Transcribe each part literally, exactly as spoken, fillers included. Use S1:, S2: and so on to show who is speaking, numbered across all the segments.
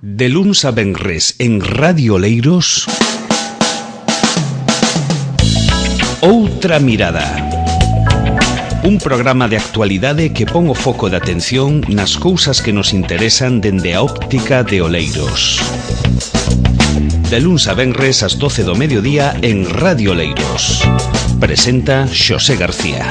S1: De luns a venres en Radio Oleiros, Outra Mirada. Un programa de actualidade que pon o foco de atención nas cousas que nos interesan dende a óptica de Oleiros. De luns a venres ás doce do mediodía en Radio Oleiros. Presenta Xosé García.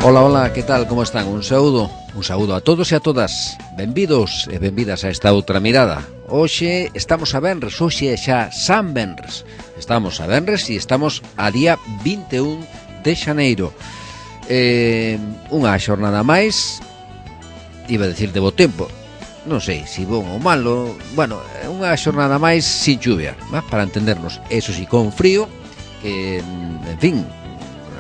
S2: Ola, ola, que tal, como están? Un saúdo, un saúdo a todos e a todas. Benvidos e benvidas a esta outra mirada. Hoxe estamos a venres, hoxe é xa San Venres. Estamos a venres e estamos a día vinte e un de xaneiro. Eh, unha xornada máis, iba a decir de bo tempo, non sei se bon ou malo. Bueno, unha xornada máis sin chuvia, ¿va? Para entendernos. Eso sí, con frío, que, en fin,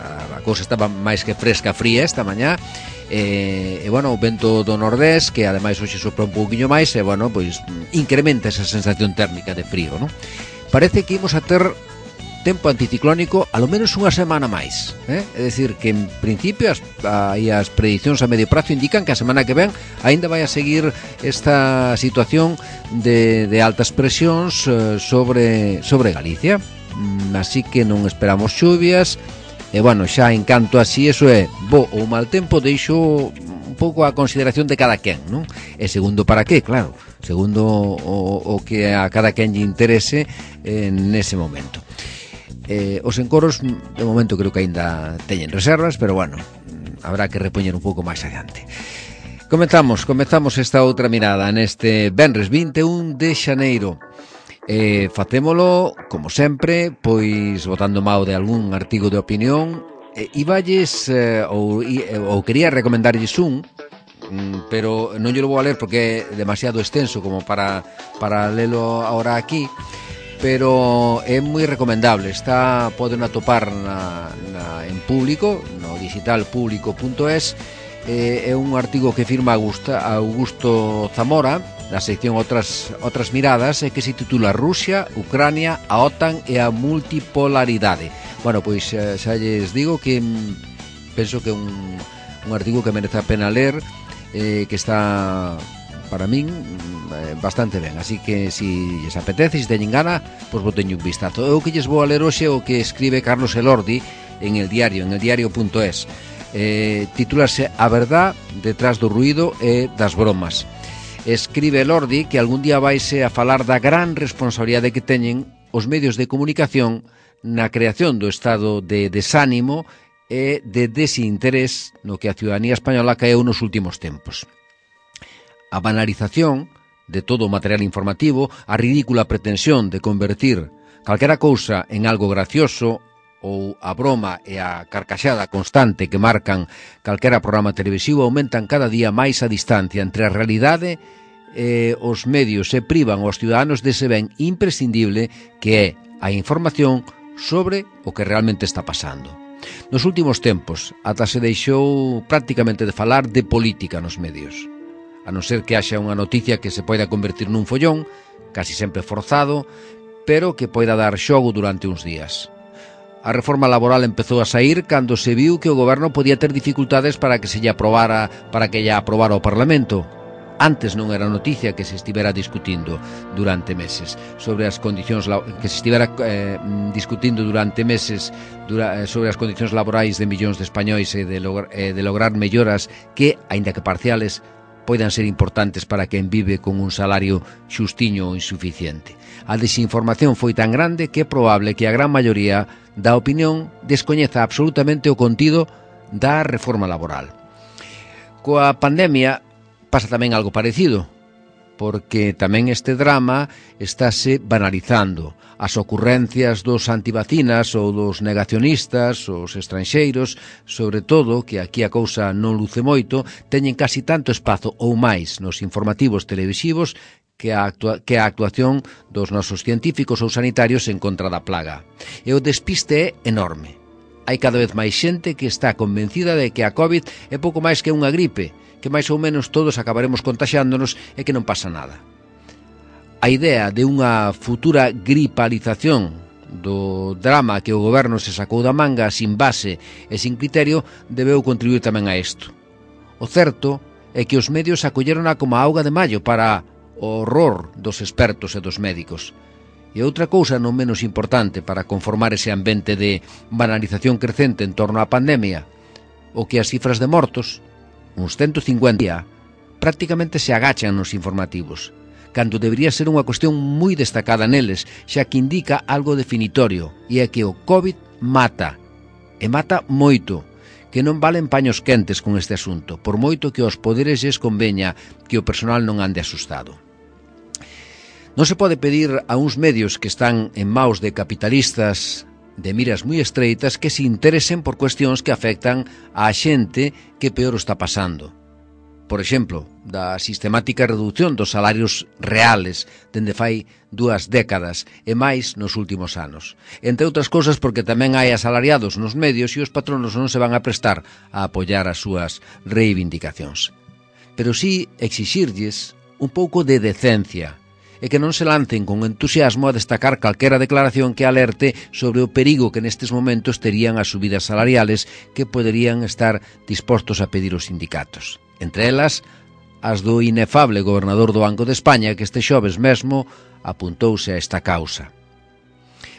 S2: a cousa estaba máis que fresca, fría esta mañá, e, e bueno, o vento do nordés, que ademais hoxe sopra un pouquiño máis, e bueno, pois incrementa esa sensación térmica de frío, non? Parece que imos a ter tempo anticiclónico alo menos unha semana máis, eh? É dicir, que en principio as, aí as predicións a medio prazo indican que a semana que ven aínda vai a seguir esta situación de, de altas presións eh, sobre, sobre Galicia, mm, así que non esperamos chuvias. E, bueno, xa en canto así, eso é bo ou mal tempo, deixo un pouco a consideración de cada quen, non? E segundo, para qué, claro, segundo o, o que a cada quen lle interese eh, nese momento. Eh, os encoros, de momento, creo que aínda teñen reservas, pero, bueno, habrá que repoñer un pouco máis adiante. Comezamos, comezamos esta outra mirada neste venres vinte e un de xaneiro. Eh, facémolo, como sempre, pois botando mao de algún artigo de opinión. eh, Iballes eh, ou, ou quería recomendarlles un, pero non lle lo vou a ler porque é demasiado extenso como para, para lelo ahora aquí, pero é moi recomendable. Está, poden atopar na, na, en público, no digital público punto es. eh, É un artigo que firma Augusto, Augusto Zamora, da sección Otras, Otras Miradas, que se titula Rusia, Ucrania, a OTAN e a multipolaridade. Bueno, pois xa lles digo que penso que é un, un artigo que merece a pena ler, eh, que está, para min, bastante ben. Así que, se lles apetece, se teñen gana, pois boteño un vistazo. O que lles vou a ler hoxe o que escribe Carlos Elordi en el diario, en el diario punto es. Eh, titúlase A verdad detrás do ruído e das bromas. Escribe Elordi que algún día vaise a falar da gran responsabilidade que teñen os medios de comunicación na creación do estado de desánimo e de desinterés no que a ciudadanía española caeu nos últimos tempos. A banalización de todo o material informativo, a ridícula pretensión de convertir calquera cousa en algo gracioso, ou a broma e a carcaxada constante que marcan calquera programa televisivo aumentan cada día máis a distancia entre a realidade e os medios e privan aos ciudadanos dese ben imprescindible que é a información sobre o que realmente está pasando. Nos últimos tempos, ata se deixou prácticamente de falar de política nos medios, a non ser que haxa unha noticia que se poida convertir nun follón, casi sempre forzado, pero que poida dar xogo durante uns días. A reforma laboral empezou a saír cando se viu que o goberno podía ter dificultades para que se lle aprobara, para que lle aprobara o Parlamento. Antes non era noticia que se estivera discutindo durante meses sobre as condicións que se estivera eh, discutindo durante meses dura, sobre as condicións laborais de millóns de españois e de, logr, eh, de lograr melloras que, aínda que parciales, poidan ser importantes para quen vive con un salario xustiño ou insuficiente. A desinformación foi tan grande que é probable que a gran maioría da opinión descoñeza absolutamente o contido da reforma laboral. Coa pandemia pasa tamén algo parecido. porque tamén este drama estáse banalizando. As ocurrencias dos antivacinas ou dos negacionistas, os estranxeiros, sobre todo, que aquí a cousa non luce moito, teñen casi tanto espazo ou máis nos informativos televisivos que a, actua que a actuación dos nosos científicos ou sanitarios en contra da plaga. E o despiste é enorme. Hai cada vez máis xente que está convencida de que a COVID é pouco máis que unha gripe, que máis ou menos todos acabaremos contaxiándonos e que non pasa nada. A idea de unha futura gripalización do drama que o goberno se sacou da manga sin base e sin criterio debeu contribuir tamén a isto. O certo é que os medios acollerona como a auga de mallo para o horror dos expertos e dos médicos. E outra cousa non menos importante para conformar ese ambiente de banalización crecente en torno á pandemia, o que as cifras de mortos, uns ciento cincuenta, prácticamente se agachan nos informativos, cando debería ser unha cuestión moi destacada neles, xa que indica algo definitorio, e é que o COVID mata, e mata moito, que non valen paños quentes con este asunto, por moito que aos poderes lles conveña que o personal non ande asustado. Non se pode pedir a uns medios que están en maus de capitalistas de miras moi estreitas que se interesen por cuestións que afectan á xente que peor o está pasando. Por exemplo, da sistemática reducción dos salarios reales dende fai dúas décadas e máis nos últimos anos. Entre outras cousas porque tamén hai asalariados nos medios e os patronos non se van a prestar a apoiar as súas reivindicacións. Pero sí exixirlles un pouco de decencia e que non se lancen con entusiasmo a destacar calquera declaración que alerte sobre o perigo que nestes momentos terían as subidas salariales que poderían estar dispostos a pedir os sindicatos. Entre elas, as do inefable gobernador do Banco de España que este xoves mesmo apuntouse a esta causa.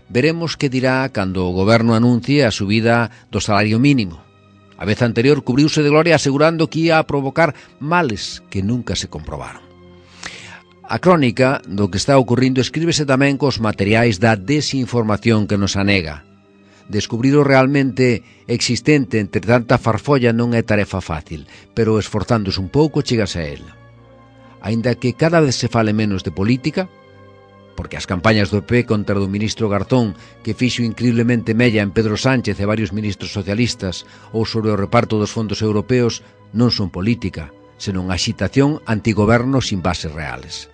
S2: Veremos que dirá cando o goberno anuncie a subida do salario mínimo. A vez anterior cubriuse de gloria asegurando que ia a provocar males que nunca se comprobaron. A crónica do que está ocurrindo escríbese tamén cos materiais da desinformación que nos anega. Descubrir o realmente existente entre tanta farfolla non é tarefa fácil, pero esforzándose un pouco chegas a ela. Aínda que cada vez se fale menos de política, porque as campañas do P P contra o ministro Garzón, que fixo increíblemente mella en Pedro Sánchez e varios ministros socialistas, ou sobre o reparto dos fondos europeos, non son política, senón agitación antigoberno sin bases reales.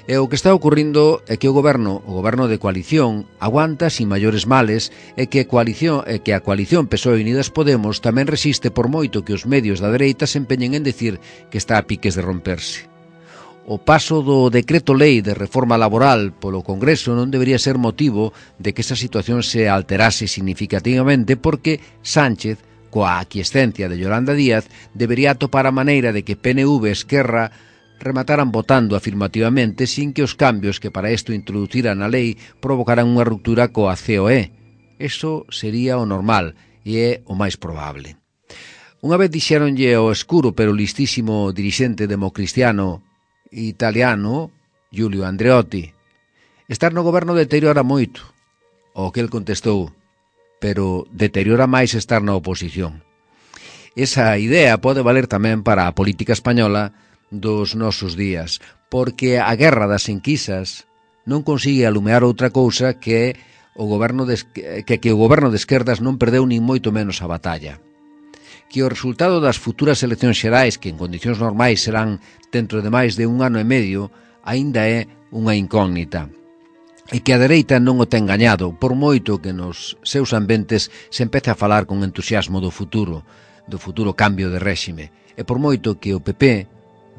S2: E o que está ocurrindo é que o goberno, o goberno de coalición, aguanta sin maiores males e que a coalición, e que a coalición P S O E e Unidas Podemos tamén resiste por moito que os medios da dereita se empeñen en decir que está a piques de romperse. O paso do decreto lei de reforma laboral polo Congreso non debería ser motivo de que esa situación se alterase significativamente porque Sánchez, coa aquiescencia de Yolanda Díaz, debería atopar a maneira de que P N V e Esquerra remataran votando afirmativamente sin que os cambios que para isto introduciran a lei provocaran unha ruptura coa C O E. Eso sería o normal e é o máis probable. Unha vez dixéronlle ao escuro pero listísimo dirixente democristiano italiano, Giulio Andreotti, estar no goberno deteriora moito. O que el contestou, pero deteriora máis estar na oposición. Esa idea pode valer tamén para a política española dos nosos días, porque a guerra das enquisas non consigue alumear outra cousa que o goberno de, que, que o goberno de esquerdas non perdeu nin moito menos a batalla. Que o resultado das futuras eleccións xerais, que en condicións normais serán dentro de máis de un ano e medio, aínda é unha incógnita. E que a dereita non o ten gañado, por moito que nos seus ambientes se empece a falar con entusiasmo do futuro, do futuro cambio de réxime, e por moito que o P P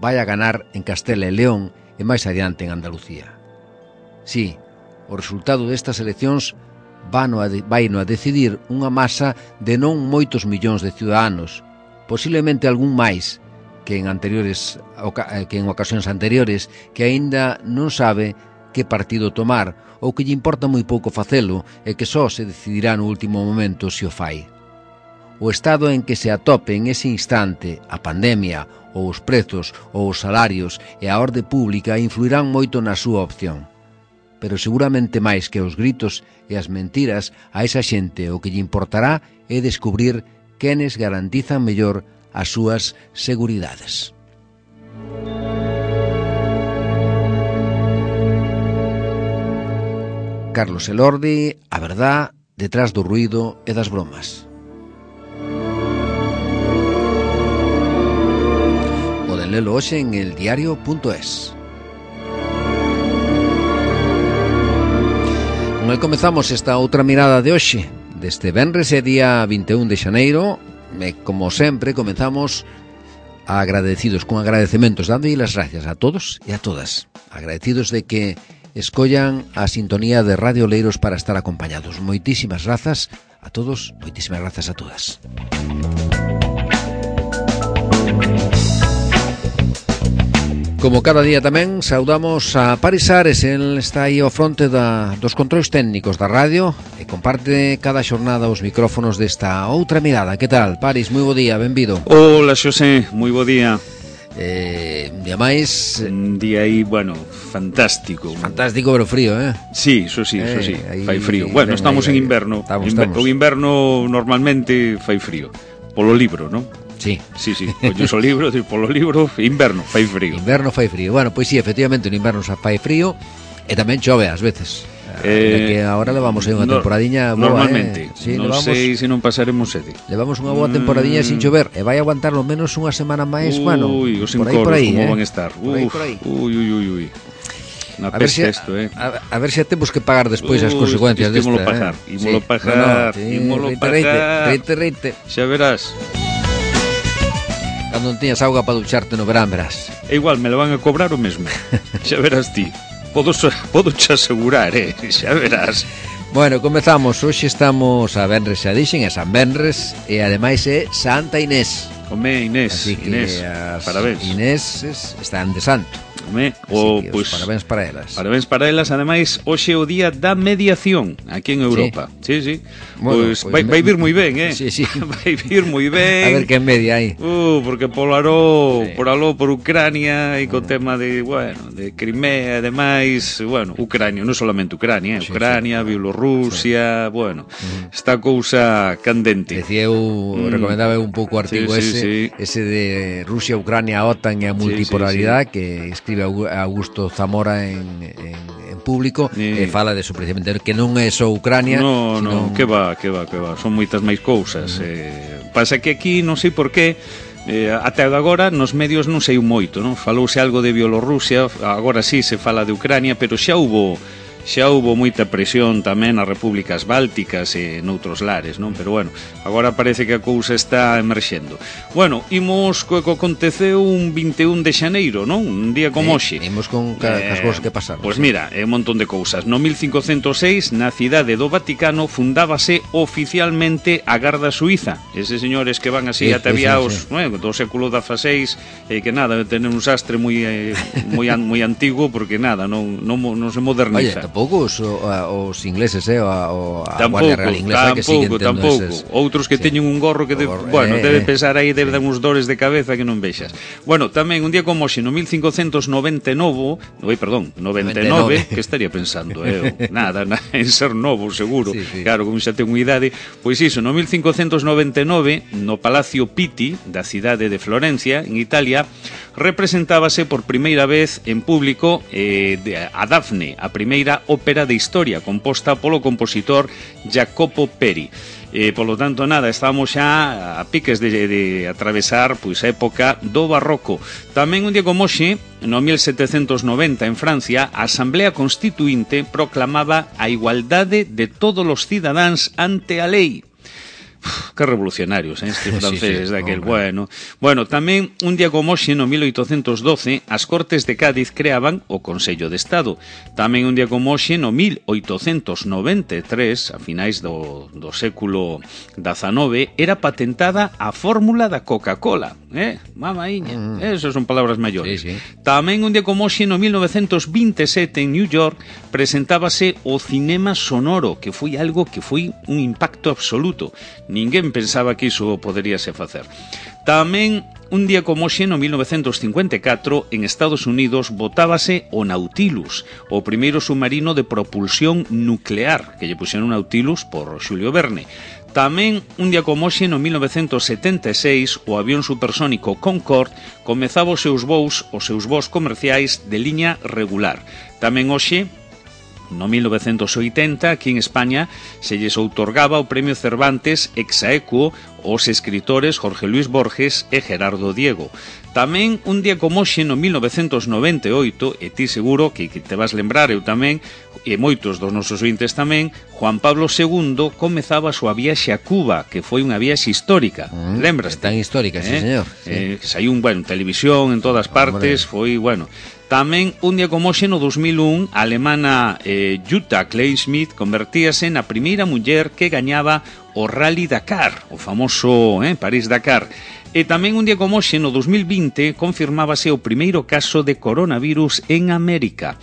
S2: vai a ganar en Castela e León e máis adiante en Andalucía. Sí, o resultado destas eleccións vai no a decidir unha masa de non moitos millóns de ciudadanos, posiblemente algún máis que en anteriores que en ocasións anteriores, que aínda non sabe que partido tomar ou que lle importa moi pouco facelo e que só se decidirá no último momento se o fai. O estado en que se atope en ese instante a pandemia ou os prezos ou os salarios e a orde pública influirán moito na súa opción. Pero seguramente máis que os gritos e as mentiras, a esa xente o que lle importará é descubrir quenes garantizan mellor as súas seguridades. Carlos Elordi, a verdad detrás do ruído e das bromas. Poden lelo hoxe en el diario punto es. Con el comezamos esta outra mirada de hoxe, deste venres e día vinte e un de xaneiro, e como sempre comezamos agradecidos, con agradecementos, dándolle las gracias a todos e a todas, agradecidos de que escollan a sintonía de Radio Oleiros para estar acompañados. Moitísimas grazas a todos, moitísimas grazas a todas. Como cada día tamén saudamos a Paris Ares, el está aí ao fronte da, dos controis técnicos da radio e comparte cada xornada os micrófonos desta outra mirada. Que tal, Paris? Moi bo día, benvido.
S3: Hola, Xosé, moi bo día.
S2: Eh, un día máis.
S3: Un día aí, bueno, fantástico.
S2: Fantástico, pero frío, eh?
S3: Sí, eso sí, eso sí,
S2: eh,
S3: fai frío.
S2: Ahí,
S3: bueno,
S2: ahí,
S3: estamos
S2: ahí,
S3: en inverno.
S2: Estamos,
S3: Inver
S2: estamos.
S3: O inverno normalmente fai frío. Polo libro, non?
S2: Sí.
S3: Sí, sí, colles o libro, dir, polo libro, inverno, fai frío.
S2: Inverno fai frío. Bueno, pois sí, efectivamente, no inverno xa fai frío e tamén chove ás veces. Eh, que agora levamos aí unha
S3: no,
S2: temporadiña boa,
S3: normalmente,
S2: eh? Sí,
S3: non
S2: levamos,
S3: sei se non pasaremos sede.
S2: Levamos unha boa temporadiña mm. sin chover e vai aguantar lo menos unha semana máis,
S3: uy,
S2: bueno,
S3: os
S2: por aí,
S3: encoros,
S2: por aí,
S3: como
S2: eh?
S3: van a estar.
S2: Por aí,
S3: Uf,
S2: por aí.
S3: Uy, uy, uy, uy. Una
S2: a ver
S3: peste
S2: si,
S3: esto, eh.
S2: A, a ver se si temos que pagar despois as
S3: Uy,
S2: consecuencias desta,
S3: ímolo pagar,
S2: eh?
S3: ímolo
S2: sí.
S3: pagar,
S2: no, no, sí,
S3: ímolo
S2: reite,
S3: pagar.
S2: Reite, reite,
S3: Xa verás.
S2: Cando non tiñas auga para ducharte no verán, verás.
S3: É igual, me lo van a cobrar o mesmo. Xa verás ti. Podo, podo te asegurar, eh? Xa verás.
S2: Bueno, comezamos. Hoxe estamos a Venres, xa dixen, é San Venres e ademais é Santa Inés.
S3: Home, Inés,
S2: Así que
S3: Inés,
S2: as
S3: parabéns.
S2: Inés están de santo.
S3: Home,
S2: o,
S3: o,
S2: pues,
S3: pues,
S2: parabéns para elas.
S3: Parabéns para elas, ademais, hoxe é o día da mediación aquí en Europa. Sí, sí. sí.
S2: Bueno,
S3: pues,
S2: pues
S3: vai, vai vir moi ben, eh?
S2: Sí, sí.
S3: Vai vir moi ben.
S2: A ver que media hai.
S3: Uh, porque por aló,
S2: sí.
S3: por aló, por Ucrania e co tema de, bueno, de Crimea e demais, bueno, Ucrania, non solamente Ucrania, eh?
S2: Sí,
S3: Ucrania,
S2: sí.
S3: Bielorrusia, sí. bueno,
S2: uh-huh.
S3: esta cousa candente.
S2: Decía eu, mm. recomendaba un pouco o artigo
S3: sí,
S2: ese,
S3: sí, sí.
S2: ese de Rusia, Ucrania, OTAN e a multipolaridade, sí, sí, sí. que escribe Augusto Zamora en, en, en público, sí. e fala de eso precisamente, que non é só Ucrania.
S3: No,
S2: sino...
S3: no, que va, que va, que va, son moitas máis cousas. Uh-huh. eh, pasa que aquí, non sei por qué, Eh, até agora nos medios non sei moito, non? Falouse algo de Bielorrusia, agora sí se fala de Ucrania, pero xa hubo xa hubo moita presión tamén nas repúblicas bálticas e noutros lares, non? Pero bueno, agora parece que a cousa está emerxendo. Bueno, imos co que aconteceu un vinte e un de xaneiro, non? Un día como hoxe.
S2: Sí, imos con ca, eh, as cousas que pasaron.
S3: Pois
S2: sí.
S3: mira, é un montón de cousas. No mil cincocentos seis, na cidade do Vaticano, fundábase oficialmente a Garda Suiza. Eses señores que van así sí, ataviados, sí, sí, sí. No, do século dezaseis, e eh, que nada, tener un sastre moi eh, moi moi antigo, porque nada, non non, non se moderniza.
S2: Oye, tampouco os, os ingleses, eh, o a
S3: tampouco,
S2: Guardia Real Inglesa,
S3: tampouco,
S2: que siguen tendo
S3: tampouco.
S2: Eses...
S3: Outros que sí. teñen un gorro que, de, gorro, bueno, eh, debe pensar aí, debe sí. dar uns dores de cabeza que non vexas. Bueno, tamén un día como hoxe, no mil cincocentos noventa e nove, oi, perdón, noventa e nove, que estaría pensando, eh, nada, nada, en ser novo, seguro, sí, sí. claro, como xa ten unha idade, pois iso, no mil cincocentos noventa e nove, no Palacio Pitti, da cidade de Florencia, en Italia, representábase por primeira vez en público eh, a Dafne, a primeira ópera de historia, composta polo compositor Jacopo Peri. Eh, polo tanto, nada, estamos xa a piques de, de atravesar pois a época do barroco. Tamén un día como hoxe, no mil setecentos noventa, en Francia, a Asamblea Constituinte proclamaba a igualdade de todos os cidadáns ante a lei. Uf, que revolucionarios, eh, este francés sí, sí, daquel, hombre. bueno. Bueno, tamén un día como hoxe, no mil oitocentos doce, as Cortes de Cádiz creaban o Consello de Estado. Tamén un día como hoxe, no mil oitocentos noventa e tres, a finais do, do século dezanove, era patentada a fórmula da Coca-Cola. Eh, mamaíña, mm. esas son palabras maiores. Sí, sí. Tamén un día como hoxe, no mil novecentos vinte e sete, en New York, presentábase o cinema sonoro, que foi algo que foi un impacto absoluto. Ninguén pensaba que iso poderíase facer. Tamén, un día como hoxe, no mil novecentos cincuenta e catro, en Estados Unidos, botábase o Nautilus, o primeiro submarino de propulsión nuclear, que lle puxeron Nautilus por Xulio Verne. Tamén, un día como hoxe, no mil novecentos setenta e seis, o avión supersónico Concorde comezaba os seus voos, os seus voos comerciais de liña regular. Tamén hoxe, no mil novecentos oitenta, aquí en España, se lles outorgaba o Premio Cervantes ex aequo aos escritores Jorge Luis Borges e Gerardo Diego. Tamén, un día como hoxe, no mil novecentos noventa e oito, e ti seguro que, que te vas lembrar, eu tamén, e moitos dos nosos ointes tamén, Juan Pablo segundo comezaba a súa viaxe a Cuba, que foi unha viaxe histórica. Mm, Lembraste?
S2: Tan histórica, eh? Sí, señor. Sí.
S3: Eh, saiu un, bueno, televisión en todas partes, foi, bueno... Tamén, un día como hoxe, no dos mil un, a alemana eh, Jutta Kleinschmidt convertíase na primeira muller que gañaba o Rally Dakar, o famoso eh, París-Dakar. E tamén un día como hoxe, no dos mil vinte, confirmábase o primeiro caso de coronavirus en América.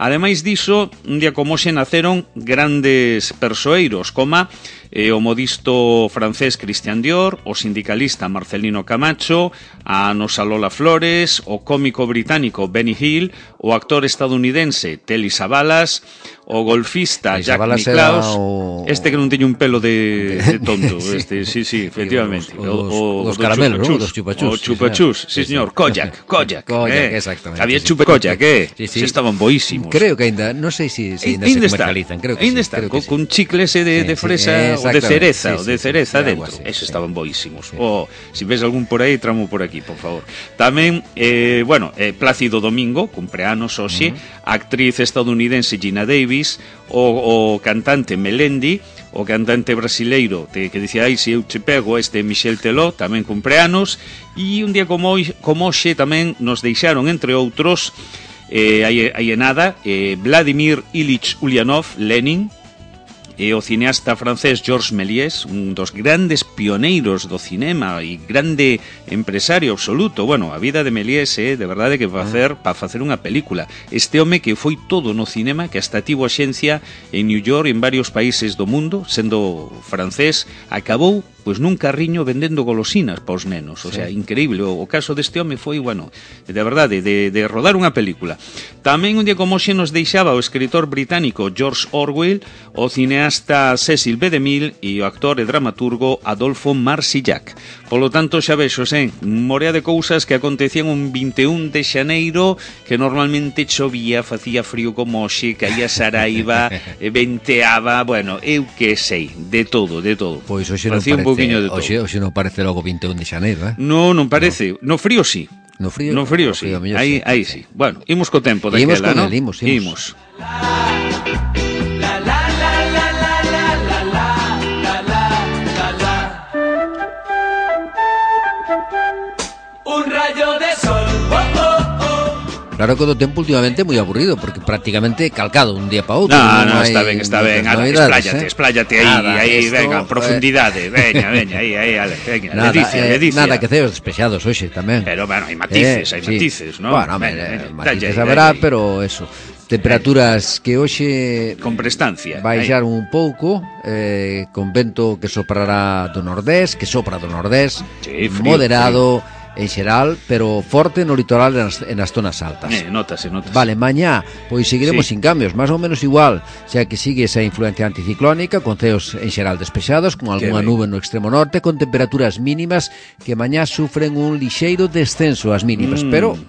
S3: Ademais diso, un día como hoxe naceron grandes persoeiros, como eh, o modisto francés Christian Dior, o sindicalista Marcelino Camacho, a nosa Lola Flores, o cómico británico Benny Hill, o actor estadounidense Telly Savalas, o golfista
S2: Telly
S3: Jack
S2: Savalas
S3: Nicklaus,
S2: o...
S3: este que non teño un pelo de, de tonto, este, sí, sí, efectivamente.
S2: Os, os, o, os caramelos, ¿no? Os chupachús.
S3: O chupachús, sí, sí, señor. Koyak, Koyak.
S2: Koyak,
S3: eh.
S2: exactamente.
S3: Había
S2: sí.
S3: chupa Koyak, eh.
S2: Sí, sí.
S3: Se estaban boísimos.
S2: Creo que ainda, non sei se si, si ainda, ainda se comercializan, creo que
S3: ainda
S2: sí.
S3: está,
S2: Creo
S3: con,
S2: que sí.
S3: con chicle ese de,
S2: sí,
S3: de fresa
S2: sí,
S3: o de cereza,
S2: sí,
S3: o de
S2: sí,
S3: cereza
S2: sí,
S3: dentro.
S2: así,
S3: Esos
S2: sí.
S3: estaban boísimos.
S2: Sí.
S3: O, si ves algún por aí, tramo por aquí, por favor. Tamén, eh, bueno, eh, Plácido Domingo, cumpleanos hoxe, uh -huh. a actriz estadounidense Gina Davis, o, o cantante Melendi, o cantante brasileiro te, que dicía, ai, se eu che pego, este Michel Teló, tamén cumpleanos, e un día como, hoy, como hoxe tamén nos deixaron, entre outros, eh, hai, hai nada, eh, Vladimir Ilich Ulyanov, Lenin, e o cineasta francés Georges Méliès, un dos grandes pioneiros do cinema e grande empresario absoluto. Bueno, a vida de Méliès é, eh, de verdade, que para facer, para facer unha película. Este home que foi todo no cinema, que hasta tivo axencia en New York, en varios países do mundo, sendo francés, acabou pois nun carriño vendendo golosinas para os nenos. O sea, sí. Increíble. O, o caso deste home foi, bueno, de verdade, de, de rodar unha película. Tamén un día como hoxe nos deixaba o escritor británico George Orwell, o cineasta Cecil B. DeMille e o actor e dramaturgo Adolfo Marsillac. Polo tanto, xa vexos, eh, morea de cousas que acontecían un vinte e un de xaneiro, que normalmente chovía, facía frío como hoxe, caía Saraiva, venteaba, bueno, eu que sei, de todo, de todo.
S2: Pois hoxe non parece, de todo. Hoxe, hoxe non parece logo vinte e un de xaneiro, eh?
S3: No, non parece. No, no frío sí.
S2: No frío,
S3: no frío, no frío sí. Aí, sí. Aí sí. Bueno, imos co tempo daquela,
S2: imos con
S3: ¿no?
S2: el, imos, imos. imos.
S4: Un rayo de sol. Oh, oh, oh.
S2: Claro que o do tempo últimamente é moi aburrido, porque prácticamente calcado un día para outro.
S3: No, no, no está ben, está ben. Ala, expláyate, eh? expláyate aí, nada, aí, esto, venga, profundidade, veña, veña, aí, aí, ale, veña,
S2: nada,
S3: ledicia,
S2: eh,
S3: ledicia.
S2: Nada que ceos despexados hoxe tamén.
S3: Pero, bueno, hai matices,
S2: eh,
S3: hai
S2: sí.
S3: matices, ¿no?
S2: Bueno,
S3: veña,
S2: eh,
S3: veña,
S2: matices
S3: dalle,
S2: haberá,
S3: dalle.
S2: pero eso. Temperaturas que hoxe
S3: con prestancia
S2: baixar un pouco, eh, con vento que soprará do nordés, que sopra do nordés,
S3: sí, frío,
S2: moderado,
S3: frío.
S2: En xeral, pero forte no litoral e nas, nas zonas altas.
S3: Eh, notase, notase.
S2: Vale, mañá, pois seguiremos
S3: sí.
S2: sin cambios, máis ou menos igual, xa que sigue esa influencia anticiclónica, con ceos en xeral despexados, con algunha nube no extremo norte, con temperaturas mínimas que mañá sufren un lixeiro descenso as mínimas, mm. pero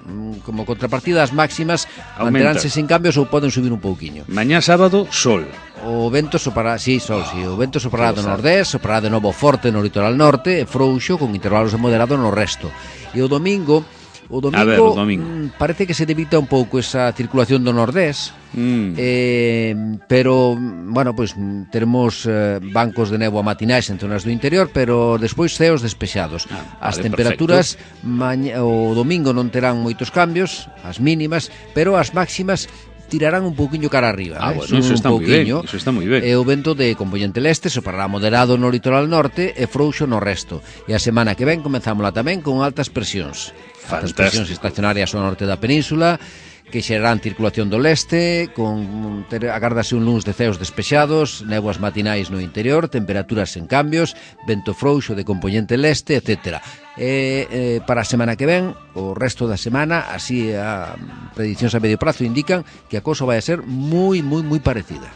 S2: como contrapartida as máximas manteránse sin cambios ou poden subir un pouquiño.
S3: Mañá sábado, sol.
S2: O vento soprará, sí, sol, sí, o vento soprará do nordés, soprará de novo forte no litoral norte e frouxo con intervalos de moderado no resto. E o domingo, o domingo,
S3: ver, o domingo.
S2: Mm, parece que se debita un pouco esa circulación do nordés,
S3: mm.
S2: eh, pero, bueno, pois pues, teremos eh, bancos de néboa matinais en zonas do interior, pero despois ceos despexados.
S3: Ah,
S2: as
S3: vale,
S2: temperaturas maña, o domingo non terán moitos cambios, as mínimas, pero as máximas tirarán un pouquiño cara arriba,
S3: ah,
S2: eh?
S3: bueno, eso está moi ben, eso está moi ben.
S2: E o vento de componente leste soprará moderado no litoral norte e frouxo no resto. E a semana que ven comenzámola tamén con altas presións.
S3: Fantástico.
S2: Altas presións estacionarias ao norte da península, que xerarán circulación do leste, con agárdase un luns de ceos despexados, néboas matinais no interior, temperaturas sen cambios, vento frouxo de componente leste, etcétera. E, eh, para a semana que ven, o resto da semana, así a prediccións a medio prazo indican que a cousa vai a ser moi, moi, moi parecida.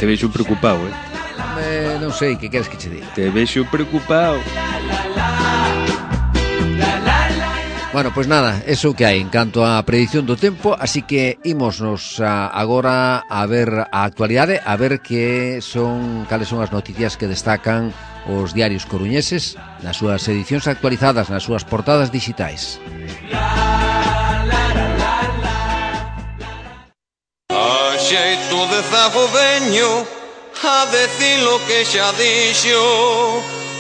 S3: Te vexo preocupado, eh?
S2: eh non sei, que queres que che diga?
S3: Te vexo preocupado.
S2: Bueno, pois pues nada, eso que hai en canto á predición do tempo, así que ímonos a, agora a ver a actualidade, a ver que son cales son as noticias que destacan os diarios coruñeses nas súas edicións actualizadas, nas súas portadas digitais.
S5: A xeito de zagoveño, a decir lo que xa dixo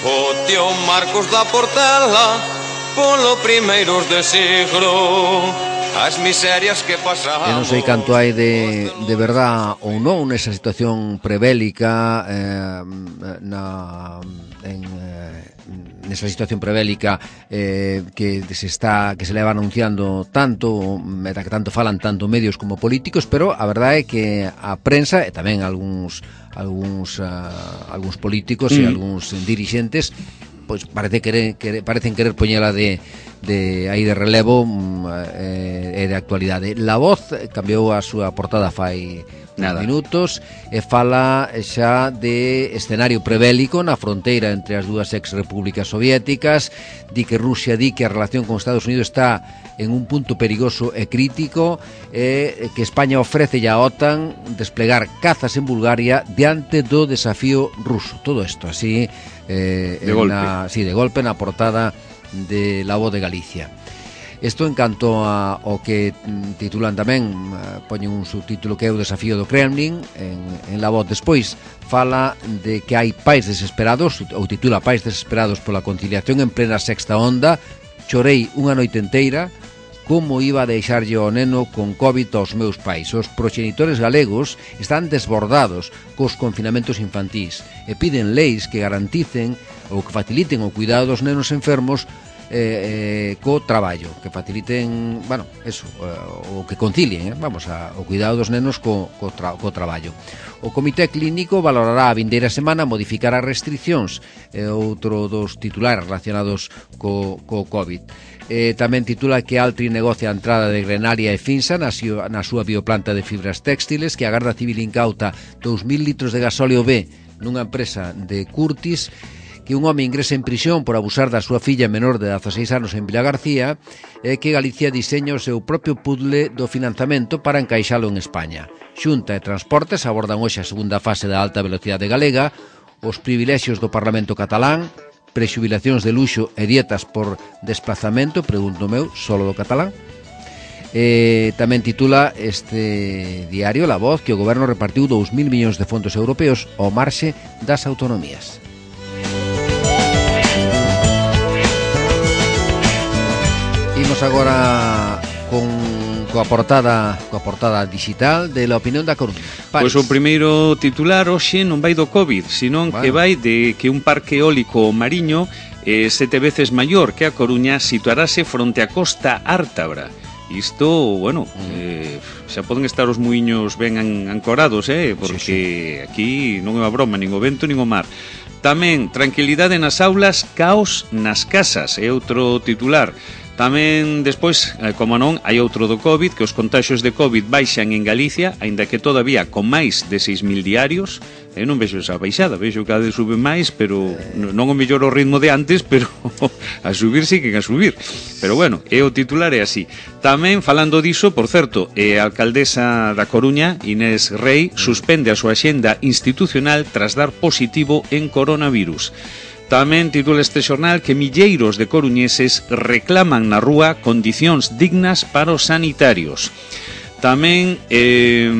S5: o tío Marcos da Portela polo primeiros de siglo, as miserias que pasamos.
S2: Eu non sei canto hai de, de verdad ou non nesa situación prebélica eh, na, en, eh, nesa situación prebélica eh, que se está que se leva anunciando tanto, meta que tanto falan tanto medios como políticos, pero a verdade é que a prensa e tamén algúns algúns uh, algúns políticos mm. e algúns dirixentes pois parece querer, querer, parecen querer poñela de, de aí de relevo e eh, de actualidade. La Voz cambiou a súa portada fai Nada. minutos e fala xa de escenario prebélico na fronteira entre as dúas ex-repúblicas soviéticas, di que Rusia di que a relación con Estados Unidos está en un punto perigoso e crítico, e que España ofrece a OTAN desplegar cazas en Bulgaria diante do desafío ruso. Todo isto así eh,
S3: de, golpe.
S2: Na, sí, de golpe na portada de La Voz de Galicia. Isto en canto a, o que titulan tamén, poñen un subtítulo que é o desafío do Kremlin en, en La Voz. Despois fala de que hai pais desesperados, ou titula Pais desesperados pola conciliación en plena sexta onda. Chorei unha noite enteira, como iba a deixarlle o neno con COVID aos meus pais. Os proxenitores galegos están desbordados cos confinamentos infantís e piden leis que garanticen ou que faciliten o cuidado dos nenos enfermos eh, eh, co traballo, que faciliten, bueno, eso, eh, o que concilien, eh, vamos, a, o cuidado dos nenos co, co, tra, co traballo. O Comité Clínico valorará a vindeira semana modificar as restriccións, eh, outro dos titulares relacionados co, co COVID. Eh, tamén titula que Altri negocia a entrada de Grenaria e Finsa na, na súa bioplanta de fibras textiles, que a Garda Civil incauta dous mil litros de gasóleo B nunha empresa de Curtis, que un home ingresa en prisión por abusar da súa filla menor de dezaseis anos en Vila García, e que Galicia diseña o seu propio puzzle do financiamento para encaixalo en España. Xunta e Transportes abordan hoxe a segunda fase da alta velocidade galega, os privilexios do Parlamento catalán, prexubilacións de luxo e dietas por desplazamento, pregunto meu, solo do catalán. Eh, tamén titula este diario La Voz que o goberno repartiu dous mil millóns de fondos europeos ao marxe das autonomías. Imos agora con coa portada coa portada digital de La Opinión da Coruña.
S3: Pois o primeiro titular hoxe non vai do COVID, senón bueno. que vai de que un parque eólico mariño eh, sete veces maior que a Coruña situarase fronte á costa ártabra. Isto, bueno, eh, xa poden estar os muiños ben ancorados, eh, porque sí, sí. aquí non é unha broma, nin o vento, nin o mar. Tamén, tranquilidade nas aulas, caos nas casas, é outro titular. Tamén, despois, como non, hai outro do COVID, que os contaxios de COVID baixan en Galicia, aínda que todavía con máis de seis mil diarios. Eu non vexo esa baixada, vexo que cada vez sube máis, pero non o mellor o ritmo de antes, pero a subir sí que a subir. Pero bueno, é o titular é así. Tamén, falando diso, por certo, a alcaldesa da Coruña, Inés Rei, suspende a súa axenda institucional tras dar positivo en coronavirus. Tamén titula este xornal que milleiros de coruñeses reclaman na rúa condicións dignas para os sanitarios. Tamén eh,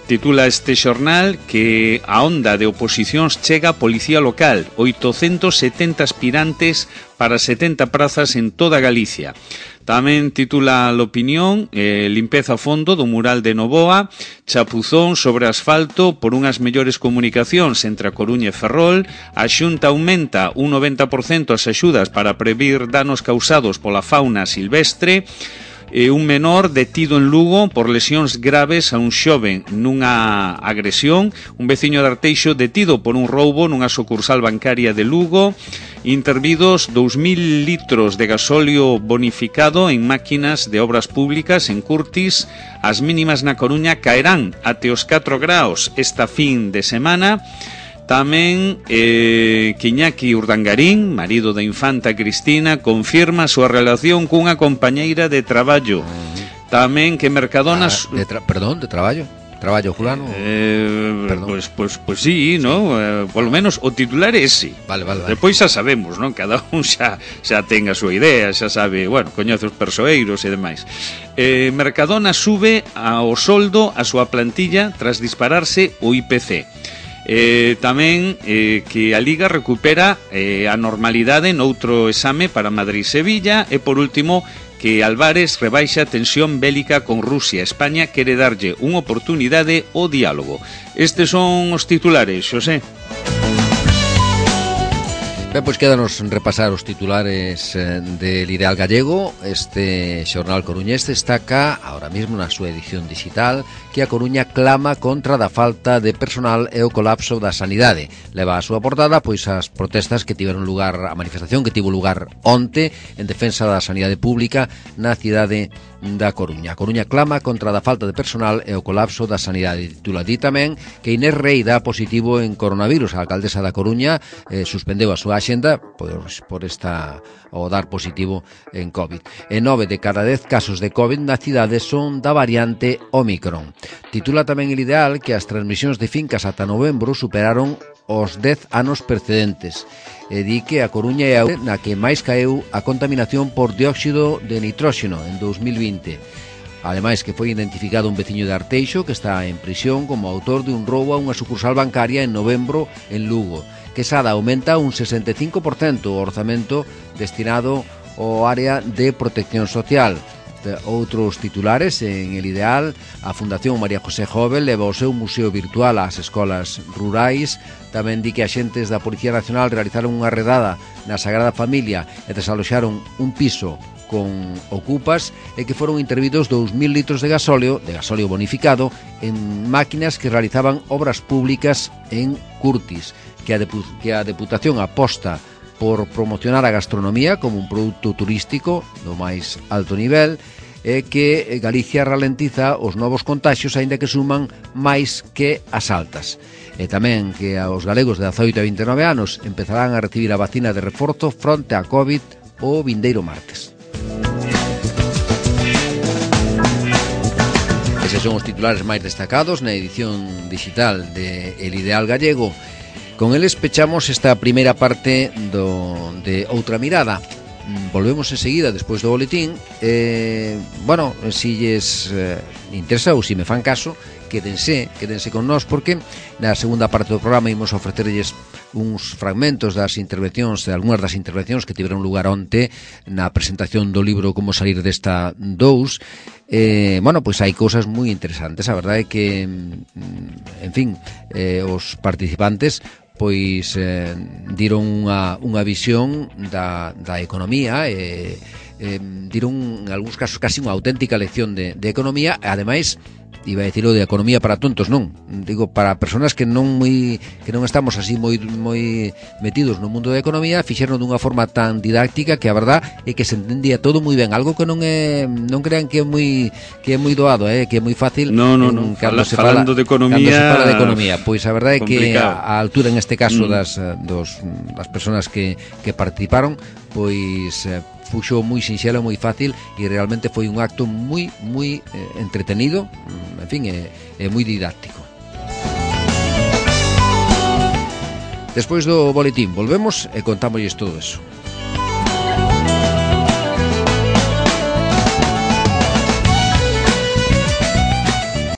S3: titula este xornal que a onda de oposicións chega a Policía Local, oitocentos setenta aspirantes para setenta prazas en toda Galicia. Tamén titula l'Opinión, eh, limpeza a fondo do mural de Novoa, chapuzón sobre asfalto por unhas mellores comunicacións entre a Coruña e Ferrol, a Xunta aumenta un noventa por cento as axudas para previr danos causados pola fauna silvestre, e un menor detido en Lugo por lesións graves a un xoven nunha agresión, un veciño de Arteixo detido por un roubo nunha sucursal bancaria de Lugo, intervidos dous mil litros de gasóleo bonificado en máquinas de obras públicas en Curtis, as mínimas na Coruña caerán até os catro graus esta fin de semana. Tamén eh, que Iñaki Urdangarín, marido da infanta Cristina, confirma a súa relación cunha compañeira de traballo. Tamén que Mercadona...
S2: Ah, de tra perdón, de traballo? Traballo fulano?
S3: Eh, pois, pois, pois sí, no? Eh, polo menos o titular é ese.
S2: Vale, vale, vale.
S3: Depois xa sabemos, non? Cada un xa, xa ten a súa idea, xa sabe, bueno, coñece os persoeiros e demais. Eh, Mercadona sube ao soldo a súa plantilla tras dispararse o I P C. Eh, tamén eh, que a Liga recupera eh, a normalidade noutro exame para Madrid-Sevilla e por último que Álvarez rebaixa a tensión bélica con Rusia. España quere darlle unha oportunidade ao diálogo. Estes son os titulares, Xosé.
S2: Ben, pois quédanos repasar os titulares eh, del Ideal Gallego. Este xornal coruñés destaca ahora mesmo na súa edición digital que a Coruña clama contra da falta de personal e o colapso da sanidade. Leva a súa portada pois as protestas que tiveron lugar, a manifestación que tivo lugar onte en defensa da sanidade pública na cidade da Coruña. A Coruña clama contra da falta de personal e o colapso da sanidade. Titula di tamén que Inés Rei dá positivo en coronavirus. A alcaldesa da Coruña eh, suspendeu a súa axenda por, por esta o dar positivo en COVID. E nove de cada dez casos de COVID na cidade son da variante Omicron. Titula tamén El Ideal que as transmisións de fincas ata novembro superaron os dez anos precedentes. E di que a Coruña é a na que máis caeu a contaminación por dióxido de nitróxeno en dos mil vinte. Ademais que foi identificado un veciño de Arteixo que está en prisión como autor de un roubo a unha sucursal bancaria en novembro en Lugo. Quesada aumenta un sesenta e cinco por cento o orzamento destinado ao área de protección social. Outros titulares en El Ideal, a Fundación María José Jovel leva o seu museo virtual ás escolas rurais. Tamén di que axentes da Policía Nacional realizaron unha redada na Sagrada Familia e desaloxaron un piso con ocupas e que foron intervidos dous mil litros de gasóleo, de gasóleo bonificado, en máquinas que realizaban obras públicas en Curtis, que a, Depu que a Deputación aposta por promocionar a gastronomía como un produto turístico do máis alto nivel e que Galicia ralentiza os novos contaxios aínda que suman máis que as altas. E tamén que aos galegos de dezaoito a vinte e nove anos empezarán a recibir a vacina de reforzo fronte a COVID o vindeiro martes. Eses son os titulares máis destacados na edición digital de El Ideal Gallego. Con eles pechamos esta primeira parte do, de Outra Mirada. Volvemos enseguida despois do boletín. eh, Bueno, si lles eh, interesa ou si me fan caso, quédense, quédense con nós, porque na segunda parte do programa imos ofrecerlles uns fragmentos das intervencións, de algunhas das intervencións que tiveron lugar onte na presentación do libro Como salir desta dous. Eh, bueno, pois hai cousas moi interesantes. A verdade é que, en fin, eh, os participantes pois eh, diron unha, unha visión da, da economía e eh, diron en algúns casos casi unha auténtica lección de, de economía. Ademais, iba a decirlo de economía para tontos, non, digo para persoas que non moi que non estamos así moi moi metidos no mundo da economía, fixeron dunha forma tan didáctica que a verdad é que se entendía todo moi ben, algo que non é non crean que é moi que é moi doado, eh, que é moi fácil.
S3: No, no, no.
S2: Cando
S3: Fala,
S2: se fala
S3: falando de economía,
S2: cando se fala de economía, pois a verdade é que
S3: complicado.
S2: a, a altura en este caso
S3: mm.
S2: das dos das persoas que que participaron, pois eh, fuxo moi sinxelo, moi fácil e realmente foi un acto moi moi eh, entretenido, en fin, é, é moi didáctico. Despois do boletín volvemos e contámosles todo eso.